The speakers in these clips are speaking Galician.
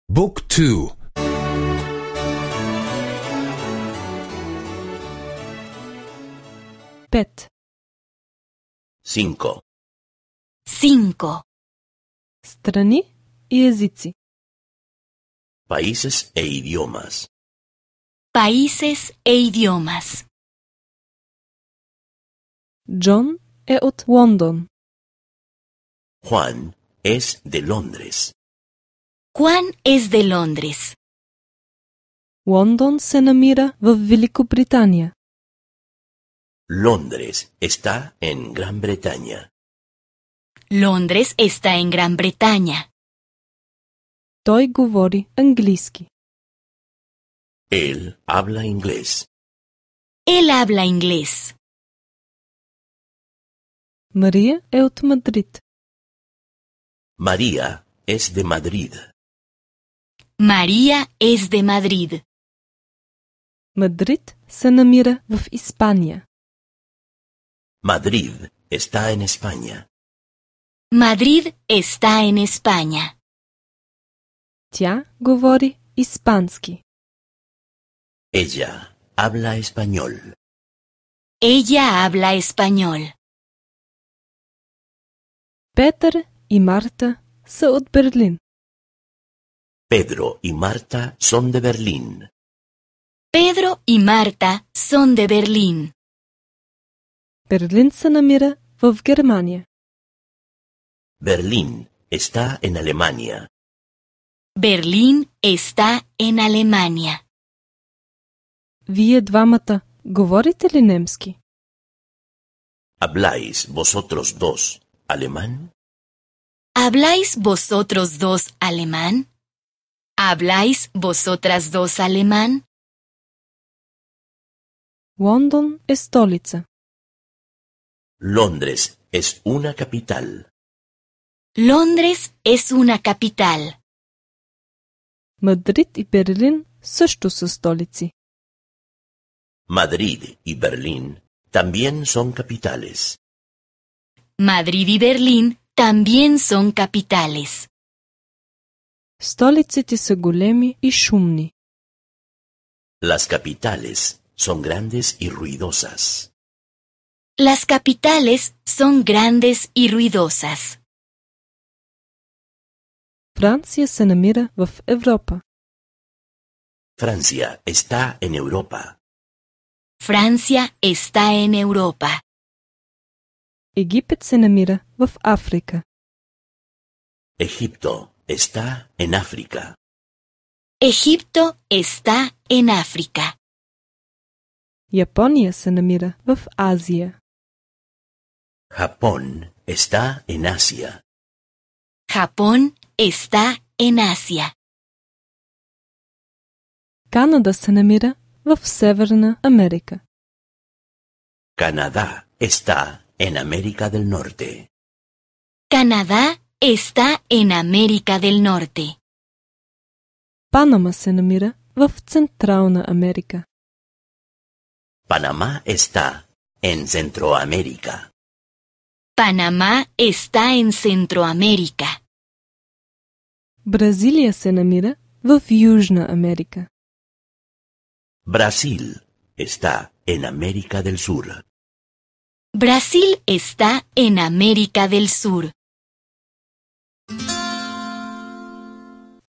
Book 2. 5. 5. 5. Страни и езици. Países e idiomas. Países e idiomas. Джон е от Лондон. Juan es de Londres. Juan es de Londres. Лондон се намира в Великобритания. Londres está en Gran Bretaña. Londres está en Gran Bretaña. Той говори английски. Él habla inglés. Él habla inglés. Мария е от Мадрид. María es de Madrid. María es de Madrid. Мадрид се намира в Испания. Madrid está en España. Madrid está en España. Тя говори испански. Ella habla español. Ella habla español. Петър и Марта са от Берлин. Pedro y Marta son de Berlín. Pedro y Marta son de Berlín. Берлин се намира в Германия. Berlín está en Alemania. Berlín está en Alemania. Вие двамата говорите ли немски? ¿Habláis vosotros dos alemán? ¿Habláis vosotros dos alemán? ¿Habláis vosotras dos alemán? Лондон е столица. Londres es una capital. Londres es una capital. Мадрид и Берлин също са столици. Madrid y Berlín también son capitales. Madrid y Berlín también son capitales. Столиците са големи и шумни. Las capitales son grandes y ruidosas. Las capitales son grandes y ruidosas. Франция се намира в Европа. Francia está en Europa. Francia está en Europa. Египет се намира в Африка. Egipto está en África. Egipto está en África. Япония се намира в Азия. Japón está en Asia. Japón está en Asia. Канада се намира в Северна Америка. Canadá está en América del Norte. Canadá está en América del Norte. Панама се намира в Централна Америка. Panamá está en Centroamérica. Panamá está en Centroamérica. Бразилия се намира в Южна Америка. Brasil está en América del Sur. Brasil está en América del Sur.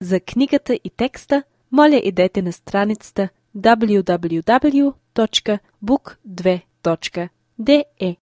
За книгата и текста, моля идете на страницата www.book2.de.